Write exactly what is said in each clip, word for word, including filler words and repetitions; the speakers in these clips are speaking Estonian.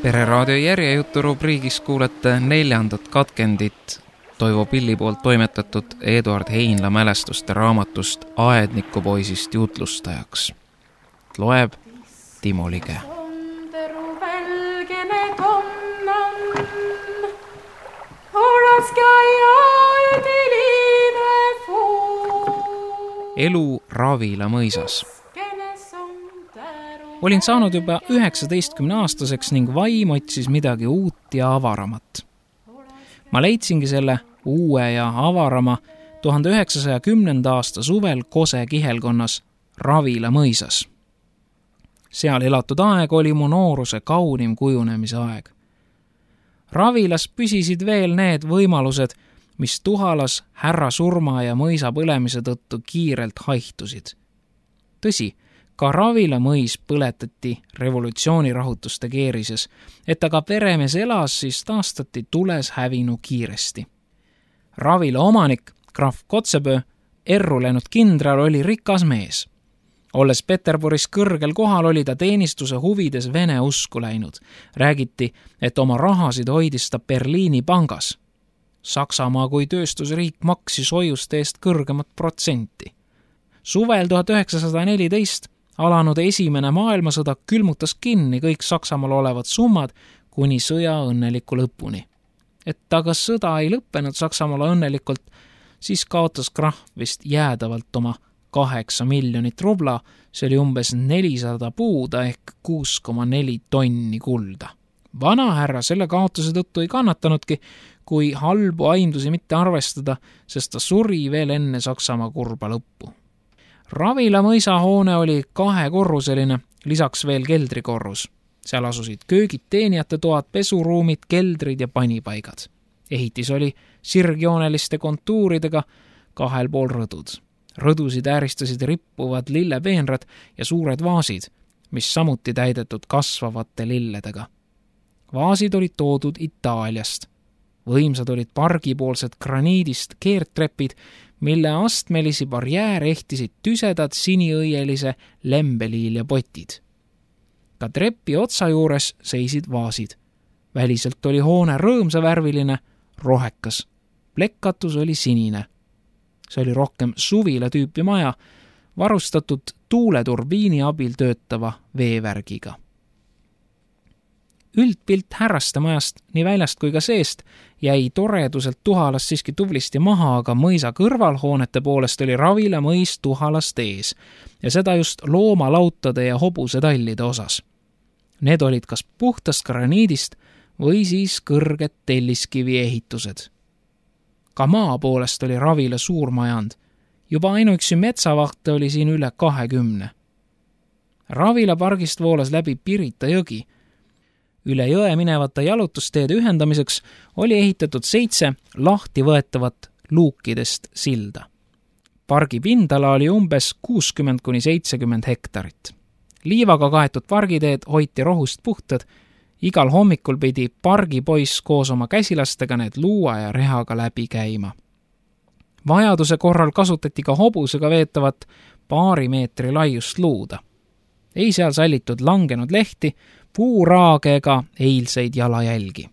Pereraadio järjejutu rubriigis kuulete neljandat katkendit Toivo Pilli poolt toimetatud Eduard Heinla mälestuste raamatust Aednikupoisist jutlustajaks. Loeb Timo Lige. Elu Ravila mõisas. Olin saanud juba üheksateistkümne aastaseks ning vaim otsis midagi uut ja avaramat. Ma leidsingi selle uue ja avarama tuhande üheksasaja kümnenda aasta suvel Kose kihelkonnas Ravila mõisas. Seal elatud aeg oli mu nooruse kaunim kujunemise aeg. Ravilas püsisid veel need võimalused, mis Tuhalas härra surma ja mõisa põlemise tõttu kiirelt haihtusid. Tõsi, ka Ravila mõis põletati revolutsioonirahutuste keerises, et aga peremees elas, siis taastati tules hävinu kiiresti. Ravila omanik, krahv Kotsepöö, erru läinud kindral oli rikas mees. Olles Peterburis kõrgel kohal, oli ta teenistuse huvides vene usku läinud. Räägiti, et oma rahasid hoidis ta Berliini pangas. Saksamaa kui tööstusriik maksis hoiuste eest kõrgemat protsenti. Suvel tuhat üheksasada neliteist alanud esimene maailmasõda külmutas kinni kõik Saksamaal olevad summad kuni sõja õnneliku lõpuni. Et aga sõda ei lõppenud Saksamaale õnnelikult, siis kaotas krahv vist jäädavalt oma kaheksa miljonit rubla, see oli umbes nelisada puuda ehk kuus koma neli tonni kulda. Vana härra selle kaotuse tõttu ei kannatanudki, kui halbu aimdusi mitte arvestada, sest ta suri veel enne Saksamaa kurba lõppu. Ravila mõisahoone oli kahekorruseline, lisaks veel keldrikorrus. Seal asusid köögid, teenijate toad, pesuruumid, keldrid ja panipaigad. Ehitis oli sirgjooneliste kontuuridega, kahel pool rõdud. Rõdusid ääristasid rippuvad lillepeenrad ja suured vaasid, mis samuti täidetud kasvavate lilledega. Vaasid olid toodud Itaaliast. Võimsad olid pargipoolsed graniidist keertrepid, mille astmelisi barjääre ehtisid tüsedad siniõielise lembeliilja potid. Ka trepi otsa juures seisid vaasid. Väliselt oli hoone rõõmsavärviline, rohekas. Plekkatus oli sinine. See oli rohkem suvila tüüpi maja, varustatud tuuleturbiini abil töötava veevärgiga. Üldpilt härraste majast nii väljast kui ka seest jäi toreduselt Tuhalas siiski tublisti maha, aga mõisa kõrvalhoonete poolest oli Ravila mõis Tuhalast ees ja seda just loomalautade ja hobusetallide osas. Need olid kas puhtast graniidist või siis kõrged telliskivi ehitused. Ka maa poolest oli Ravila suurmajand. Juba ainuüksi metsavahte oli siin üle kahekümne. Ravila pargist voolas läbi Pirita jõgi. Üle jõe minevate jalutusteede ühendamiseks oli ehitatud seitse lahti võetavat luukidest silda. Pargi pindala oli umbes kuuskümmend kuni seitsekümmend hektarit. Liivaga kaetud pargiteed hoiti rohust puhtad. Igal hommikul pidi pargipoiss koos oma käsilastega need luua ja rehaga läbi käima. Vajaduse korral kasutati ka hobusega veetavat paari meetri laiust luuda. Ei seal sallitud langenud lehti, puuraage ega eilseid jalajälgi.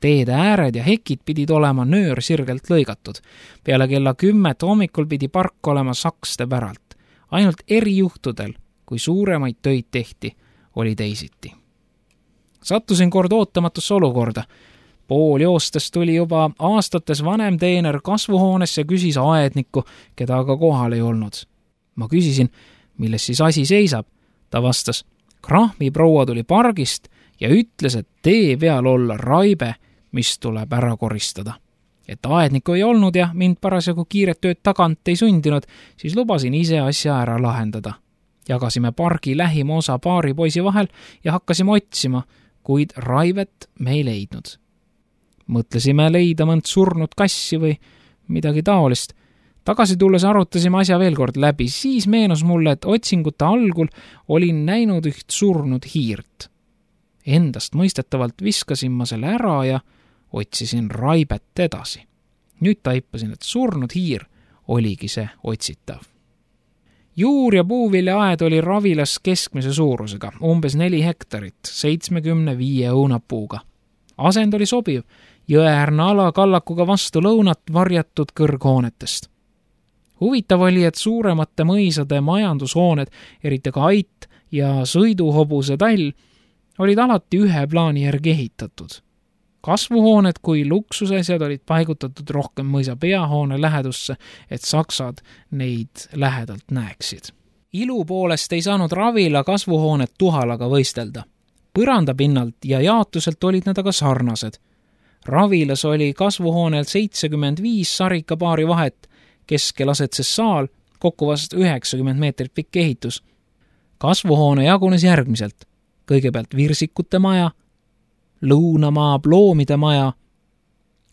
Teede ääred ja hekid pidid olema nöör sirgelt lõigatud. Peale kella kümmet hommikul pidi park olema sakste päralt. Ainult erijuhtudel, kui suuremaid töid tehti, oli teisiti. Sattusin kord ootamatusse olukorda. Pool joostes tuli juba aastates vanem teener kasvuhoones ja küsis aednikku, keda aga kohal ei olnud. Ma küsisin, milles siis asi seisab. Ta vastas, krahmi proua tuli pargist ja ütles, et tee peal olla raibe, mis tuleb ära koristada. Et aednikku ei olnud ja mind parasjagu kiiret tööd tagant ei sundinud, siis lubasin ise asja ära lahendada. Jagasime pargi lähima osa paari poisi vahel ja hakkasime otsima, kuid raivet me ei leidnud. Mõtlesime leida mõnd surnud kassi või midagi taolist. Tagasi tulles arutasime asja veel kord läbi, siis meenus mulle, et otsingute algul olin näinud üht surnud hiirt. Endast mõistetavalt viskasin ma selle ära ja otsisin Raibet edasi. Nüüd taipasin, et surnud hiir oligi see otsitav. Juur- ja puuviljaaed oli Ravilas keskmise suurusega, umbes neli hektarit, seitsmekümne viie õunapuuga. Asend oli sobiv, jõeäärne ala kallakuga vastu lõunat varjatud kõrghoonetest. Huvitav oli, et suuremate mõisade majandushooned, eriti ka Ait ja sõiduhobuse Tall, olid alati ühe plaani järgi ehitatud. Kasvuhooned kui luksusasjad olid paigutatud rohkem mõisa peahoone lähedusse, et saksad neid lähedalt näeksid. Ilu poolest ei saanud Ravila kasvuhooned tuhalaga võistelda. Põrandapinnalt ja jaotuselt olid nad aga sarnased. Ravilas oli kasvuhoonel seitsekümmend viis sarikapaari vahet, keskel asetses saal, kokku vast üheksakümmend meetrit pikk ehitus. Kasvuhoone jagunes järgmiselt. Kõigepealt virsikute maja, lõunamaa ploomide maja,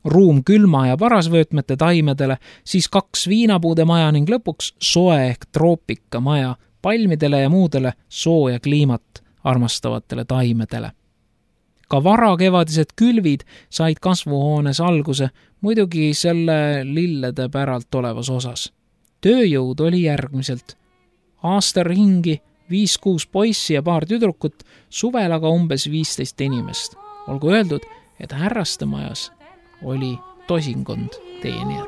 ruum külma- ja parasvöötmete taimedele, siis kaks viinapuude maja ning lõpuks soe ehk troopika maja palmidele ja muudele sooja kliimat armastavatele taimedele. Ka varakevadised külvid said kasvuhoones alguse, muidugi selle lillede päralt olevas osas. Tööjõud oli järgmiselt. Aasta ringi viis-kuus poissi ja paar tüdrukut, suvel aga umbes viisteist inimest. Olgu öeldud, et härraste majas oli tosinkond teenijat.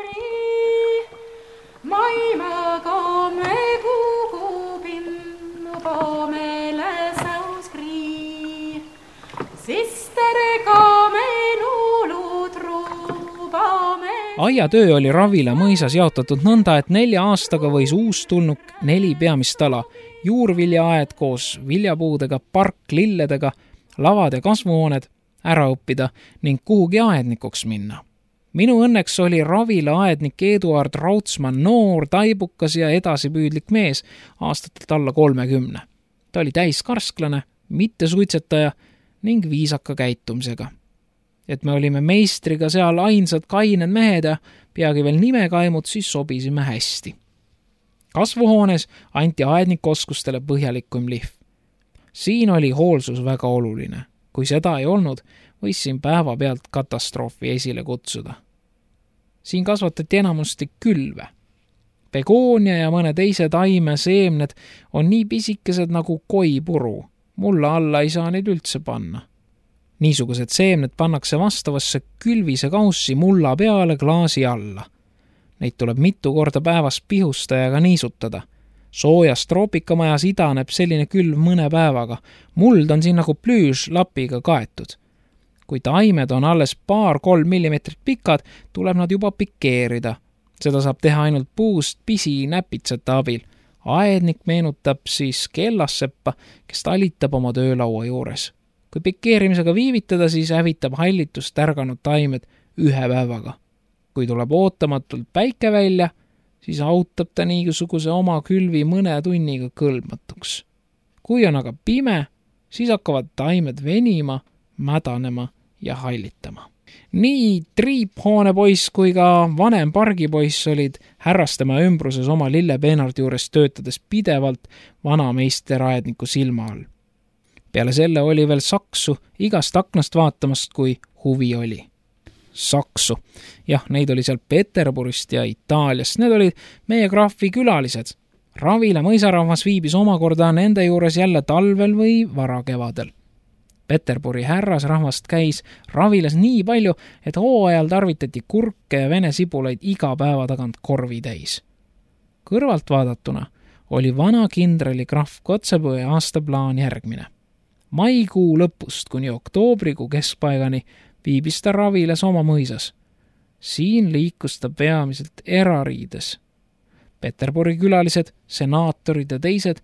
Aiatöö oli Ravila mõisas jaotatud nõnda, et nelja aastaga võis uus tulnuk neli peamist ala, juurviljaaed koos viljapuudega, park lilledega, lavad ja kasvuhooned ära õppida ning kuhugi aednikuks minna. Minu õnneks oli Ravila aednik Eduard Rautsmann noor, taibukas ja edasipüüdlik mees, aastatelt alla kolmekümne. Ta oli täiskarsklane, mitte suitsetaja ning viisaka käitumisega. Et me olime meistriga seal ainsad kained mehed ja peagi veel nimekaimud, siis sobisime hästi. Kasvuhoones anti aednikoskustele põhjalikum lihv. Siin oli hoolsus väga oluline. Kui seda ei olnud, võis siin päeva pealt katastroofi esile kutsuda. Siin kasvatati enamasti külve. Begoonia ja mõne teise taime seemned on nii pisikesed nagu koipuru. Mulla alla ei saa neid üldse panna. Niisugused seemned pannakse vastavasse külvise kaussi mulla peale klaasi alla. Neid tuleb mitu korda päevas pihustajaga niisutada. Soojas troopikamajas idaneb selline külv mõne päevaga. Muld on siin nagu plüüž lapiga kaetud. Kui taimed on alles paar-kolm millimeetrit pikad, tuleb nad juba pikeerida. Seda saab teha ainult puust pisi näpitsate abil. Aednik meenutab siis kellasseppa, kes talitab oma töölaua juures. Kui pikeerimisega viivitada, siis hävitab hallitust tärganud taimed ühe päevaga. Kui tuleb ootamatult päike välja, siis autab ta niisuguse oma külvi mõne tunniga kõlbmatuks. Kui on aga pime, siis hakkavad taimed venima, mädanema ja hallitama. Nii triiphoonepoiss kui ka vanem pargipoiss olid härrastema ümbruses oma lillepeenardi juures töötades pidevalt vanameisteraedniku silma all. Peale selle oli veel saksu igast aknast vaatamast, kui huvi oli. Saksu. Jah, neid oli seal Peterburist ja Itaaliast. Need olid meie graafi külalised. Ravila mõisarahvas viibis omakorda nende juures jälle talvel või varakevadel. Peterburi härrasrahvast käis Ravilas nii palju, et hooajal tarvitati kurke ja vene sibulaid iga päeva tagant korvi täis. Kõrvalt vaadatuna oli vana kindrali graf Kotsepõe aastaplaan järgmine. Maikuu lõpust kuni oktoobrikuu keskpaigani viibis ta Ravilas oma mõisas. Siin liikus ta peamiselt erariides. Peterburi külalised, senaatorid ja teised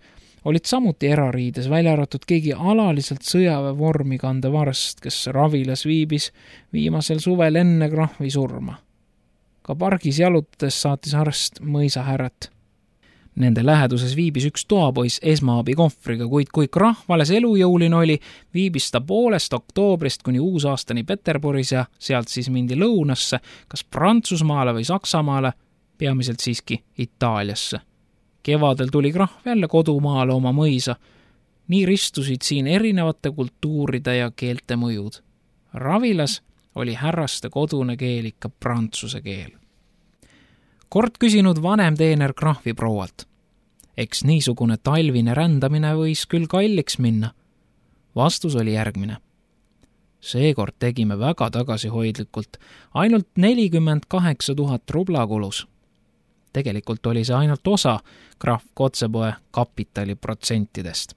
olid samuti erariides, välja arvatud keegi alaliselt sõjaväe vormi kandev arst, kes Ravilas viibis viimasel suvel enne grahvi surma. Ka pargis jalutades saatis arst mõisahärrat. Nende läheduses viibis üks toapoiss esmaabi kohvriga, kuid kui krahv alles elujõuline oli, viibis ta poolest oktoobrist kuni uusaastani Peterburis ja sealt siis mindi lõunasse, kas Prantsusmaale või Saksamaale, peamiselt siiski Itaaliasse. Kevadel tuli krahv jälle kodumaale oma mõisa. Nii ristusid siin erinevate kultuuride ja keelte mõjud. Ravilas oli härraste kodune keel ikka prantsuse keel. Kord küsinud vanem teener krahvi proualt. Eks niisugune talvine rändamine võis küll kalliks minna. Vastus oli järgmine. Seekord tegime väga tagasihoidlikult, ainult nelikümmend kaheksa tuhat rubla kulus. Tegelikult oli see ainult osa krahv Kotsepoe kapitali protsentidest.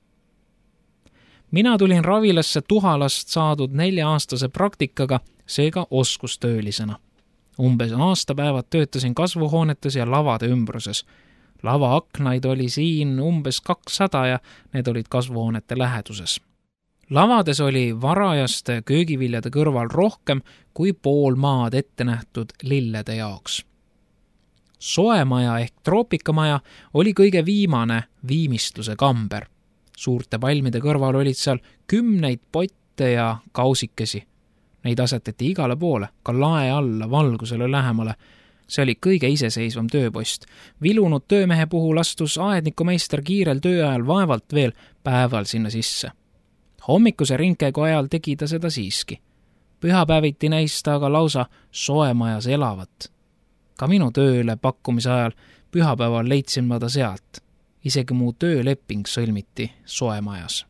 Mina tulin Ravilasse Tuhalast saadud nelja-aastase praktikaga, seega oskustöölisena. Umbes aastapäevad töötasin kasvuhoonetes ja lavade ümbruses. Lava aknaid oli siin umbes kakssada ja need olid kasvuhoonete läheduses. Lavades oli varajaste köögiviljade kõrval rohkem kui pool maad ette nähtud lillede jaoks. Soemaja ehk troopikamaja oli kõige viimane viimistluse kamber. Suurte palmide kõrval olid seal kümneid potte ja kausikesi. Neid asetati igale poole, ka lae alla, valgusele lähemale. See oli kõige iseseisvam tööpost. Vilunud töömehe puhul astus aednikumeister kiirel tööajal vaevalt veel päeval sinna sisse. Hommikuse ringkäigu ajal tegi ta seda siiski. Pühapäeviti näis ta aga lausa soemajas elavat. Ka minu tööle pakkumise ajal pühapäeval leidsin ma ta sealt. Isegi mu tööleping sõlmiti soemajas.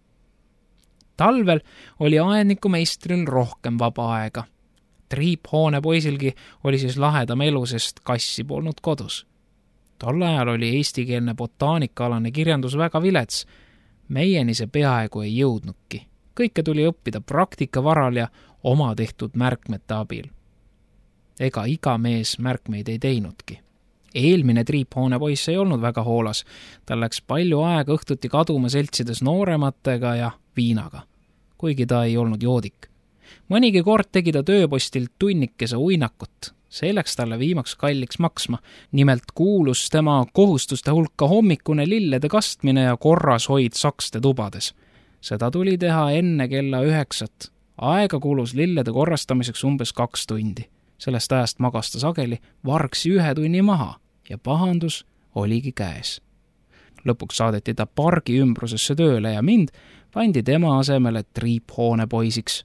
Talvel oli aednikumeistril rohkem vaba aega. Triiphoone poisilgi oli siis lahedam elu, sest kassi polnud kodus. Tol ajal oli eestikeelne botaanikaalane kirjandus väga vilets. Meieni see peaaegu ei jõudnudki. Kõike tuli õppida praktika varal ja oma tehtud märkmete abil. Ega iga mees märkmeid ei teinudki. Eelmine triiphoone poiss ei olnud väga hoolas. Tal läks palju aega õhtuti kaduma seltsides noorematega ja viinaga, kuigi ta ei olnud joodik. Mõnigi kord tegi ta tööpostilt tunnikese uinakut. See läks talle viimaks kalliks maksma. Nimelt kuulus tema kohustuste hulka hommikune lillede kastmine ja korras hoid sakste tubades. Seda tuli teha enne kella üheksat. Aega kulus lillede korrastamiseks umbes kaks tundi. Sellest ajast magas ta sageli vargsi ühe tunni maha ja pahandus oligi käes. Lõpuks saadeti ta pargi ümbrusesse tööle ja mind pandi tema asemele triiphoone poisiks.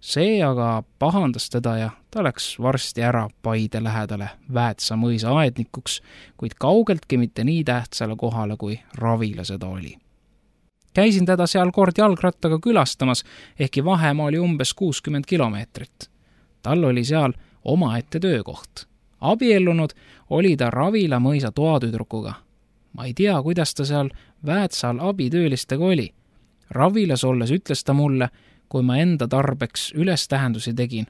See aga pahandas teda ja ta läks varsti ära Paide lähedale Väätsa mõisa aednikuks, kuid kaugeltki mitte nii tähtsale kohale, kui Ravila seda oli. Käisin teda seal kord jalgrattaga külastamas, ehkki vahemaa oli umbes kuuskümmend kilomeetrit. Tal oli seal omaette töökoht. Abiellunud oli ta Ravila mõisa toatüdrukuga. Ma ei tea, kuidas ta seal Väätsal abitöölistega oli. Ravilas olles ütles ta mulle, kui ma enda tarbeks ülestähendusi tegin.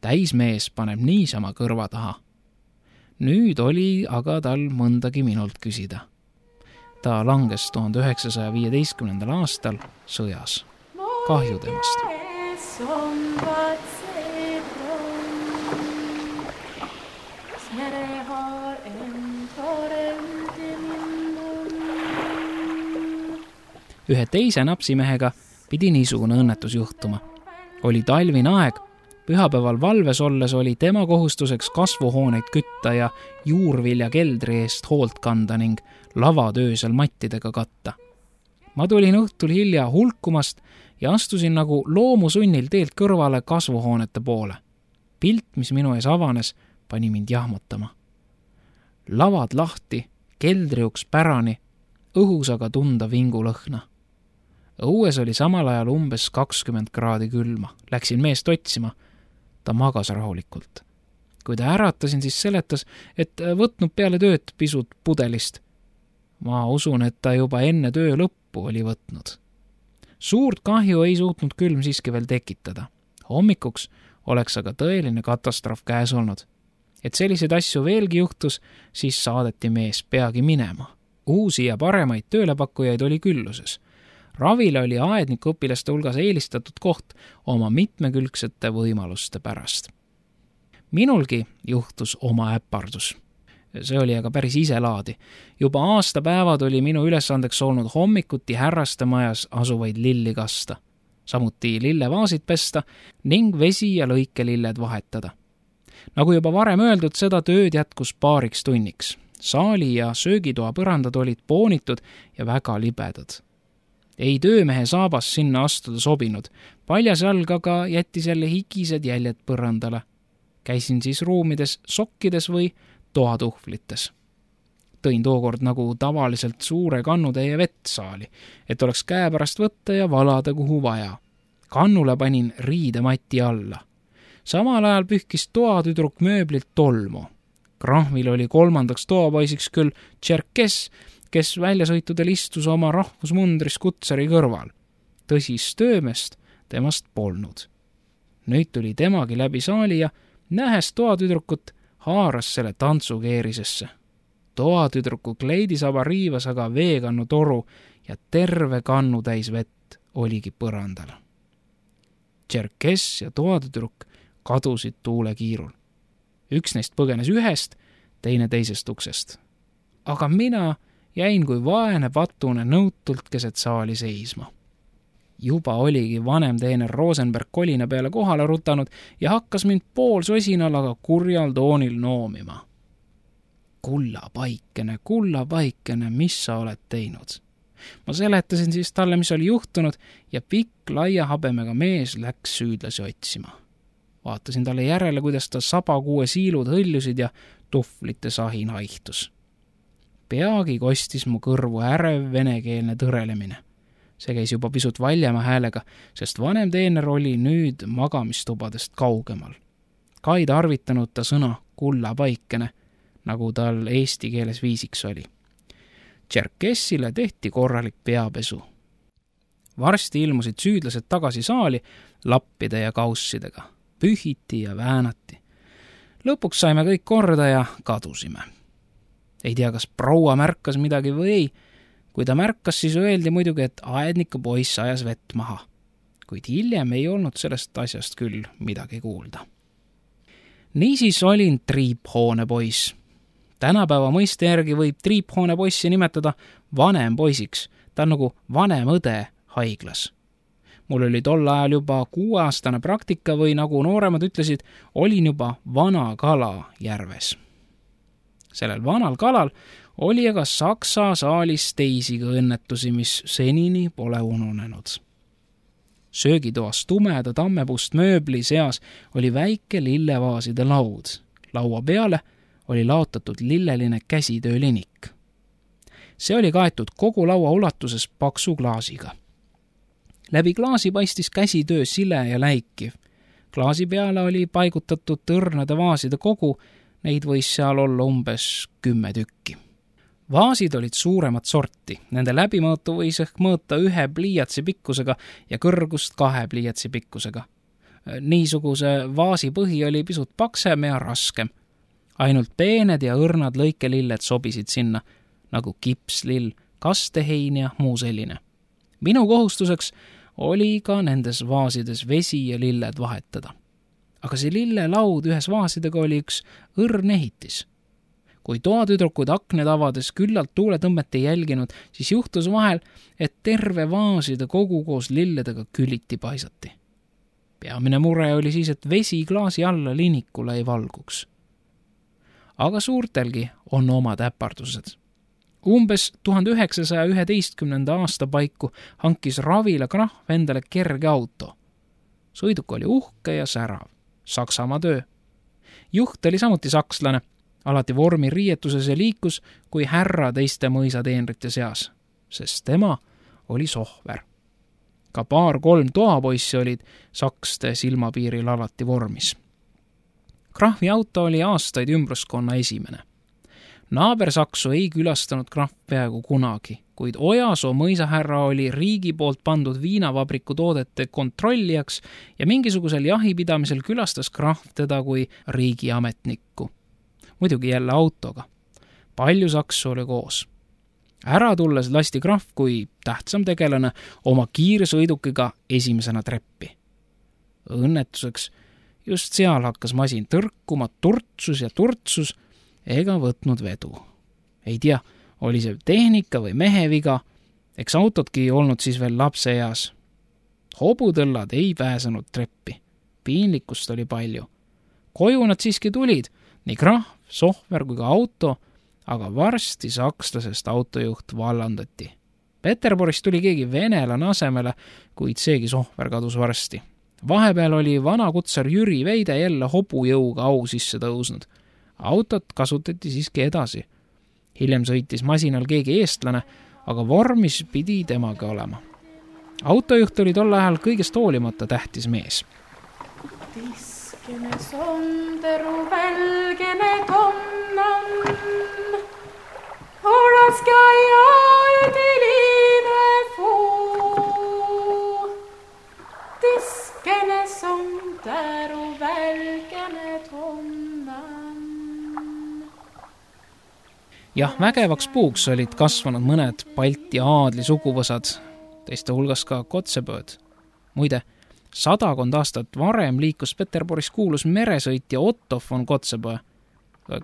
Täismees paneb niisama kõrva taha. Nüüd oli aga tal mõndagi minult küsida. Ta langes tuhande üheksasaja viieteistkümnendal aastal sõjas. Kahju temast. Ühe teise napsimehega pidi niisugune õnnetus juhtuma. Oli talvine aeg, pühapäeval valves olles oli tema kohustuseks kasvuhooneid kütta ja juurvilja keldri eest hoolt kanda ning lavatöösel mattidega katta. Ma tulin õhtul hilja hulkumast ja astusin nagu loomusunnil teelt kõrvale kasvuhoonete poole. Pilt, mis minu ees avanes, pani mind jahmutama. Lavad lahti, keldriuks pärani, õhus aga tunda vingulõhna. Õues oli samal ajal umbes kakskümmend kraadi külma. Läksin meest otsima. Ta magas rahulikult. Kui ta äratasin, siis seletas, et võtnud peale tööd pisut pudelist. Ma usun, et ta juba enne töö lõppu oli võtnud. Suurt kahju ei suutnud külm siiski veel tekitada. Hommikuks oleks aga tõeline katastroof käes olnud. Et selliseid asju veelgi juhtus, siis saadeti mees peagi minema. Uusi ja paremaid töölepakkujaid oli külluses. Ravila oli aednikuõpilaste hulgas eelistatud koht oma mitmekülgsete võimaluste pärast. Minulgi juhtus oma äpardus. See oli aga päris iselaadi. Juba aastapäevad oli minu ülesandeks olnud hommikuti härraste majas asuvaid lilli kasta, samuti lillevaasid pesta ning vesi ja lõikelilled vahetada. Nagu juba varem öeldud, seda tööd jätkus paariks tunniks. Saali ja söögitoa põrandad olid poonitud ja väga libedad. Ei töömehe saabas sinna astuda sobinud. Paljas jalg aga jättis jälle higised jäljed põrandale. Käisin siis ruumides sokkides või toatuhvlites. Tõin tookord nagu tavaliselt suure kannutäie vett saali, et oleks käe pärast võtta ja valada kuhu vaja. Kannule panin riidemati alla. Samal ajal pühkis toatüdruk mööblilt tolmu. Krahvil oli kolmandaks toapoisiks küll Tšerkess, kes väljasõitudel istus oma rahvusmundris kutsari kõrval. Tõsis töömest temast polnud. Nüüd tuli temagi läbi saali ja nähes toatüdrukut haaras selle tantsukeerisesse. Toatüdruku kleidisaba riivas aga veekannu toru ja terve kannu täis vett oligi põrandal. Tšerkess ja toatüdruk kadusid tuule kiirul. Üks neist põgenes ühest, teine teisest uksest. Aga mina jäin kui vaene patune nõutult keset saali seisma. Juba oligi vanem teener Rosenberg kolina peale kohale rutanud ja hakkas mind pool sosinal, aga kurjal toonil noomima. Kulla paikene, kulla paikene, mis sa oled teinud? Ma seletasin siis talle, mis oli juhtunud ja pikk laia habemega mees läks süüdlasi otsima. Vaatasin talle järele, kuidas ta sabakuue siilud hõljusid ja tuhvlite sahin haihtus. Peagi kostis mu kõrvu ärev venekeelne tõrelemine. See käis juba pisut valjema häälega, sest vanem teener oli nüüd magamistubadest kaugemal. Ka ei tarvitanud ta sõna kulla paikene, nagu tal eesti keeles viisiks oli. Tšerkessile tehti korralik peapesu. Varsti ilmusid süüdlased tagasi saali lappide ja kaussidega. Pühiti ja väänati. Lõpuks saime kõik korda ja kadusime. Ei tea, kas proua märkas midagi või ei. Kui ta märkas, siis öeldi muidugi, et aedniku poiss ajas vett maha. Kuid hiljem ei olnud sellest asjast küll midagi kuulda. Niisiis olin triiphoone poiss. Tänapäeva mõiste järgi võib triiphoone poissi nimetada vanem poisiks. Ta on nagu vanem õde haiglas. Mul oli tol ajal juba kuueaastane praktika või nagu nooremad ütlesid, olin juba vana kala järves. Sellel vanal kalal oli aga Saksa saalis teisigi õnnetusi, mis senini pole ununenud. Söögitoas tumeda tammepuust mööbli seas oli väike lillevaaside laud. Laua peale oli laotatud lilleline käsitöölinik. See oli kaetud kogu laua ulatuses paksu klaasiga. Läbi klaasi paistis käsitöö sile ja läikiv. Klaasi peale oli paigutatud tõrnade vaaside kogu, neid võis seal olla umbes kümme tükki. Vaasid olid suuremat sorti, nende läbimõõtu võis ehk mõõta ühe pliiatsi pikkusega ja kõrgust kahe pliiatsi pikkusega. Niisuguse vaasi põhi oli pisut paksem ja raskem. Ainult peened ja õrnad lõikelilled sobisid sinna, nagu kipslill, kastehein ja muu selline. Minu kohustuseks oli ka nendes vaasides vesi ja lilled vahetada. Aga see lillelaud ühes vaasidega oli üks õrn ehitis. Kui toatüdrukud akned avades küllalt tuuletõmmet ei jälginud, siis juhtus vahel, et terve vaaside kogu koos lilledega küliti paisati. Peamine mure oli siis, et vesi klaasi alla linikule ei valguks. Aga suurtelgi on omad äpardused. Umbes tuhande üheksasaja üheteistkümnenda aasta paiku hankis Ravila Krahv endale kerge auto. Sõiduk oli uhke ja särav. Saksamaa töö. Juht oli samuti sakslane, alati vormi riietuses ja liikus kui härra teiste mõisateenrite seas, sest tema oli sohver. Ka paar-kolm toapoissi olid sakste silmapiiril alati vormis. Krahvi auto oli aastaid ümbruskonna esimene. Naabersaksu ei külastanud Krahv peaaegu kunagi, kuid Ojasoo mõisahärra oli riigi poolt pandud viinavabriku toodete kontrollijaks ja mingisugusel jahipidamisel külastas Krahv teda kui riigiametnikku. Muidugi jälle autoga. Palju saksu oli koos. Ära tulles lasti Krahv kui tähtsam tegelane oma kiirsõidukiga esimesena treppi. Õnnetuseks just seal hakkas masin tõrkuma, turtsus ja turtsus ega võtnud vedu. Ei tea, oli see tehnika või meheviga, eks autotki olnud siis veel lapse eas. Hobutõllad ei pääsenud treppi. Piinlikkust oli palju. Koju nad siiski tulid, nii krahv, sohver kui ka auto, aga varsti sakslasest autojuht vallandati. Peterburist tuli keegi venelane asemele, kuid seegi sohver kadus varsti. Vahepeal oli vana kutsar Jüri Veide jälle hobujõuga au sisse tõusnud. Autot kasutati siiski edasi. Hiljem sõitis masinal keegi eestlane, aga vormis pidi temaga olema. Autojuht oli tol ajal kõigest hoolimata tähtis mees. Tiskene sonderu välgene tonnan, olaska jaedi liive fuu. Tiskene sonderu välgene tonnan. Jah, vägevaks puuks olid kasvanud mõned Balti aadli suguvõsad, teiste hulgas ka Kotsebööd. Muide, sadakond aastat varem liikus Peterburis kuulus meresõitja Otto von Kotzebue.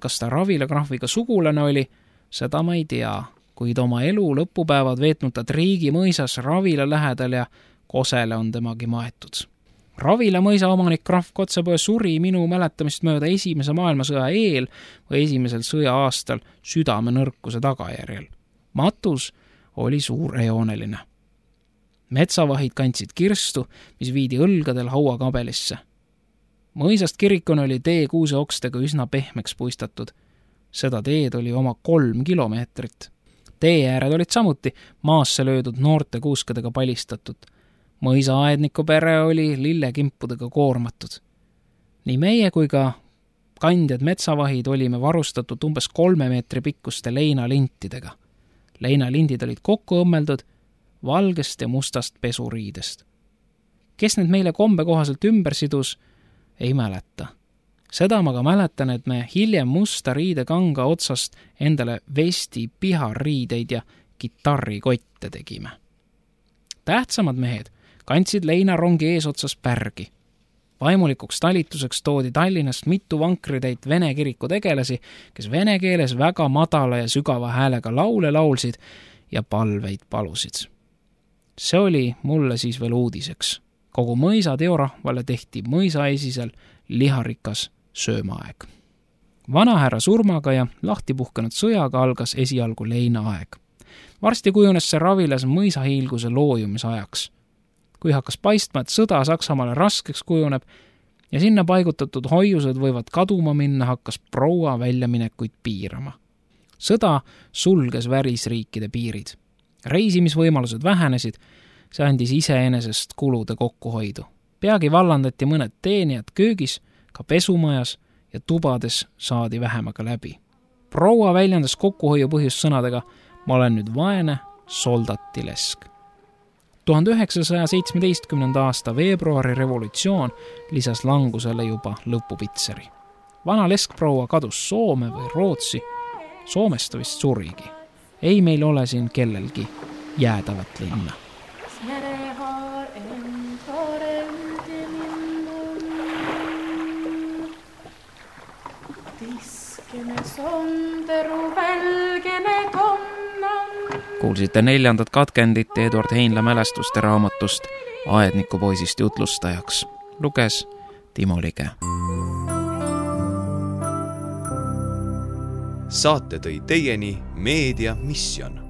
Kas ta Ravila krahviga sugulane oli, seda ma ei tea, kuid oma elu lõpupäevad veetnud ta Triigi mõisas Ravila lähedal ja Kosele on temagi maetud. Ravila mõisa omanik krahv Kotzebue suri minu mäletamist mööda esimese maailmasõja eel või esimesel sõja aastal südame nõrkuse tagajärjel. Matus oli suurejooneline. Metsavahid kandsid kirstu, mis viidi õlgadel hauakabelisse. Mõisast kirikune oli tee kuuseokstega üsna pehmeks puistatud. Seda teed oli oma kolm kilomeetrit. Tee ääred olid samuti maasse löödud noorte kuuskadega palistatud. Mõisa aedniku pere oli lillekimpudega koormatud. Nii meie kui ka kandjad metsavahid olime varustatud umbes kolme meetri pikkuste leinalintidega. Leinalindid olid kokku õmmeldud valgest ja mustast pesuriidest. Kes need meile kombe kohaselt ümber sidus, ei mäleta. Seda ma ka mäletan, et me hiljem musta riidekanga otsast endale vesti piharriideid ja kitarrikotte tegime. Tähtsamad mehed kandsid leinarongi eesotsas pärgi. Vaimulikuks talituseks toodi Tallinnast mitu vankritäit vene kiriku tegelasi, kes vene keeles väga madala ja sügava häälega laule laulsid ja palveid palusid. See oli mulle siis veel uudiseks. Kogu mõisa teorahvale tehti mõisaesisel liharikas söömaaeg. Vanahärra surmaga ja lahtipuhkenud sõjaga algas esialgu leinaaeg. Varsti kujunes see Ravilas mõisahiilguse loojumisajaks. Kui hakkas paistma, et sõda Saksamaale raskeks kujuneb ja sinna paigutatud hoiused võivad kaduma minna, hakkas proua väljaminekuid piirama. Sõda sulges välisriikide piirid. Reisimisvõimalused vähenesid, see andis iseenesest kulude kokkuhoidu. Peagi vallandati mõned teenijad köögis, ka pesumajas ja tubades saadi vähemaga läbi. Proua väljendas kokkuhoiu põhjust sõnadega, ma olen nüüd vaene soldatilesk. tuhande üheksasaja seitsmeteistkümnenda aasta veebruari revolutsioon lisas langusele juba lõpupitseri. Vana leskproua kadus Soome või Rootsi, Soomest ta vist surigi. Ei meil ole siin kellelgi jäädavat linna. Kuulsite neljandat katkendit Eduard Heinla mälestuste raamatust Aedniku poisist jutlustajaks. Luges Timo Lige. Saate tõi teieni Meedia Mission.